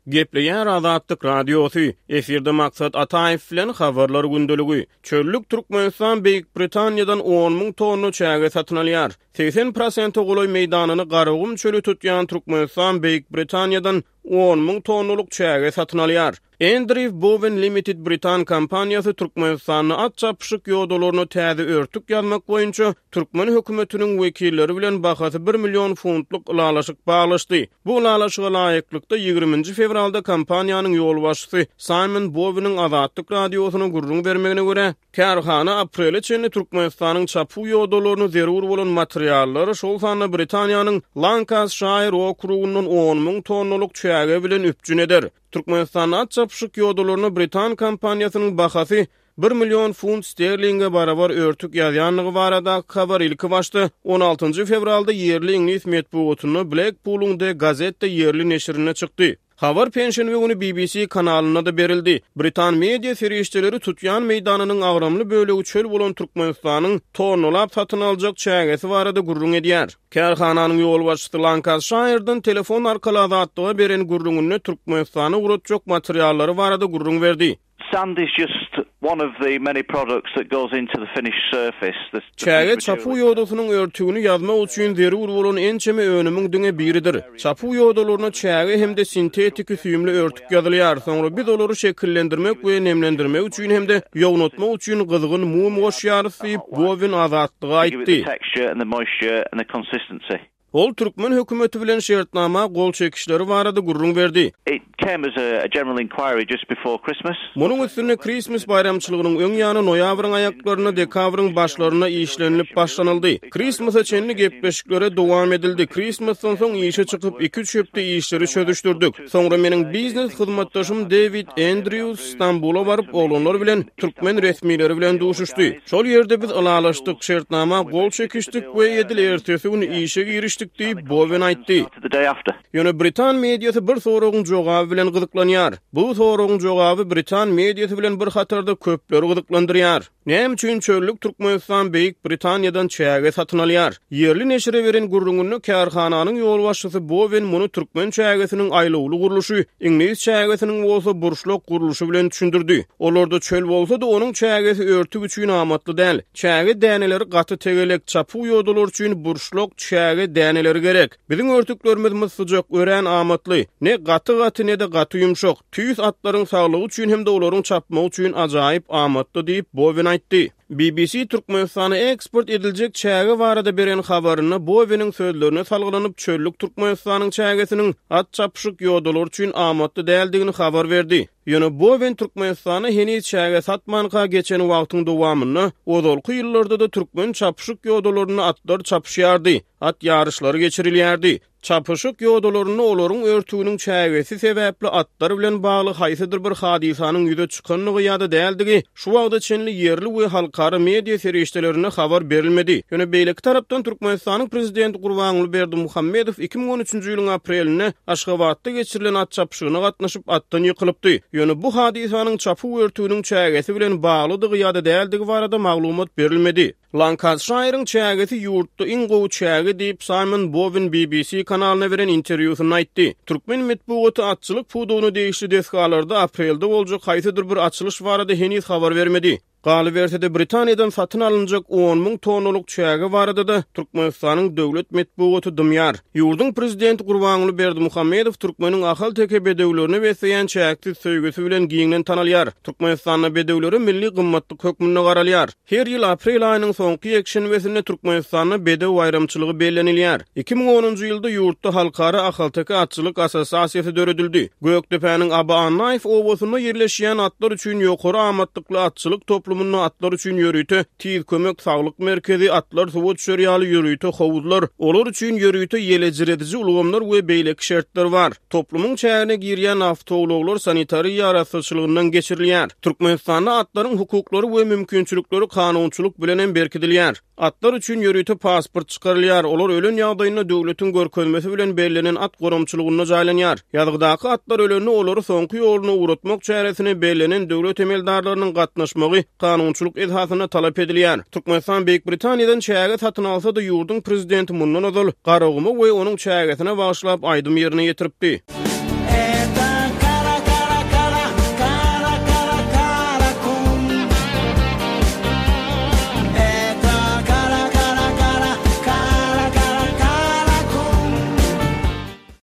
Gepleýär Azatlyk Radiosy, efirde Maksat Ataýew bilen Habarlar gündeligi. Çöllük Türkmenistan Beýik Britaniýadan on müň tonna çäge satyn alýar. 80 prosente golaý meýdanyny Garagum çöli tutýan Türkmenistan Beýik Britaniýadan on müň tonnalyk çäge satyn alýar. Andrew Bowen Limited britan kompaniýasy Türkmenistanda at çapyşyk ýodalaryna täze örtük ýazmak boýunça türkmen hökümetiniň wekilleri bilen bahasy bir million funtlyk ylalaşyk baglaşdy. Bu ylalaşyga laýyklykda, ýigriminji fewralda kompaniýanyň ýolbaşçysy Saýmon Boweniň Azatlyk Radiosyna gürrüň bermegine görä, kärhana aprele çenli Türkmenistanyň çapuw ýodalaryny zerur bolan materiallar, şol sanda Britaniýanyň Lankasşaýr okrugyndan on müň tonnalyk çäge bilen üpjün eder. Türkmenistanda at çapyşyk ýodalaryna britan kompaniýasynyň bahasy bir million funt sterlinge barabar örtük ýazýandygy baradaky habar ilkibaşda on altynjy fewralda ýerli iňlis metbugatynda Blekpulyň The Gazette ýerli neşirinde çykdy. Habar penşenbe güni BBC kanalynda-da berildi. Britan media serişdeleri tutýan meýdanynyň agramly bölegi çöl bolan Türkmenistanyň tonnalap satyn aljak çägesi barada gürrüň edýär. Kärhananyň ýolbaşçysy Lankasşaýrdan telefon arkaly Azatlyga beren gürrüňinde Türkmenistana ugratjak materiallary barada gürrüň berdi. Sand is just one of the many products that goes into the finished surface. The Çäge çapuw ýodasynyň örtügini ýazmak üçin zerur bolan ençeme önümiň diňe biridir. Çapuw ýodalaryna çäge hem-de sintetiki süýümli örtük ýazylýar. Soňra biz olary şekillendirmek we nemlendirmek üçin hem-de ýognatmak üçin gyzgyn mum goşýarys diýip, Bowin Azatlyga aýtdy. Ol türkmen hökümeti bilen şertnama gol çekişleri barada gürrüň berdi. Munuň üstünde Krismis baýramçylygynyň öň ýany noýabryň aýaklarynda, dekabryň başlarynda işlenilip başlanyldy. Krismasa çenli gepleşiklere dowam edildi. Krismasdan soň işe çykyp, iki-üç hepde işleri çözüşdirdik. Soňra meniň biznes hyzmatdaşym Dewid Endrýus Stambula baryp, oglanlar bilen, türkmen resmileri bilen duşuşdy. Şol ýerde biz ylalaşdyk, şertnama gol çekişdik we edil ertesi gün işe girişdik diýip, Bowen aýtdy. Ýöne britan mediasy bir soragyň jogaby bilen gyzyklanýar. Bu soragyň jogaby britan mediasy bilen bir hatarda köpleri gyzyklandyrýar. Näme üçin çöllük Türkmenistan Beýik Britaniýadan çäge satyn alýar? Ýerli neşire beren gürrüňinde kärhananyň ýolbaşçysy Bowen muny türkmen çägesiniň aýlawly gurluşy, iňlis çägesiniň bolsa burçlak gurluşy bilen düşündirdi. Olarda çöl bolsa-da, onuň çägesi örtük üçin amatly däl. Çäge däneleri gaty tegelek, çapuw ýodalar üçin burçlak çäge däneleri gerek. Biziň örtüklerimiz myssyjak, örän amatly. Ne gaty-gaty, ne-de gaty ýumşak. Tüýs atlaryň saglygy üçin hem-de olaryň çapmagy üçin ajaýyp amatly diýip, Bowen aýtdy. BBC Türkmenistana eksport ediljek çäge barada beren habarynda Boweniň sözlerine salgylanyp, çöllük Türkmenistanyň çägesiniň at çapyşyk ýodalary üçin amatly däldigini habar berdi. Ýöne Bowen Türkmenistana heniz çäge satmanka geçen wagtyň dowamynda, ozalky ýyllarda-da türkmen çapyşyk ýodalarynda atlar çapyşýardy, at ýaryşlary geçirilýärdi. Çapyşyk ýodalarynda olaryň örtüginiň çägesi sebäpli atlar bilen bagly haýsydyr bir hadysanyň ýüze çykandygy ýa-da däldigi şu wagta çenli ýerli we halkara media serişdelerinde habar berilmedi. Ýöne beýleki tarapdan Türkmenistanyň prezidenti Gurbanguly Berdimuhamedow 2013-nji ýylyň aprelinde Aşgabatda geçirilen at çapyşygyna gatnaşyp atdan ýykylypdy. Ýöne bu hadysanyň çapuw örtüginiň çägesi bilen baglydygy ýa-da däldigi barada maglumat berilmedi. Lankasşaýryň çägesi ýurtda iň gowy çäge diýip, Saýmon Bowen BBC kanalyna beren interwýusynda aýtdy. Türkmen metbugaty atçylyk pudagyna degişli desgalarda aprelde boljak haýsydyr bir açylyş barada heniz habar bermedi. Galyberse-de, Britaniýadan satyn alynjak on müň tonnalyk çäge barada-da Türkmenistanyň döwlet metbugaty dymýar. Ýurduň prezidenti Gurbanguly Berdimuhamedow türkmeniň ahalteke bedewlerine besleýän çäksiz söýgüsi bilen giňden tanalýar. Türkmenistanda bedewlere milli gymmatlyk hökmünde garalýar. Her ýyl aprel aýynyň soňky ýekşenbesinde Türkmenistanda Bedew baýramçylygy bellenilýär. 2010-njy ýylda ýurtda Halkara ahalteke atçylyk assosiasiýasy döredildi. Gökdepäniň Aba Annaýew obasynda ýerleşýän atlar üçin ýokary amatlykly atçylyk toplumynda atlar üçin ýörite Tiz kömek saglyk merkezi, atlar suwa düşer ýaly ýörite howuzlar, olar üçin ýörite ýelejrediji ulgamlar we beýleki şertler bar. Toplumyň çägine girýän awtoulaglar sanitariýa arassaçylygyndan geçirilýär. Türkmenistanda atlaryň hukuklary we mümkinçilikleri kanunçylyk bilen hem berkidilýär. Atlar üçin ýörite pasport çykarylýar, olar ölen ýagdaýynda döwletiň görkezmesi bilen bellenen at goramçylygynda jaýlanýar. Ýazgydaky atlar ölende olary soňky ýoluna ugratmak çäresine bellenen döwlet emeldarlarynyň gatnaşmagy kanunçylyk esasynda talap edilýär. Türkmenistan Beýik Britaniýadan çäge satyn alsa-da, ýurduň prezidenti mundan ozal Garaguma we onuň çägesine bagyşlap aýdym ýerine ýetiripdi.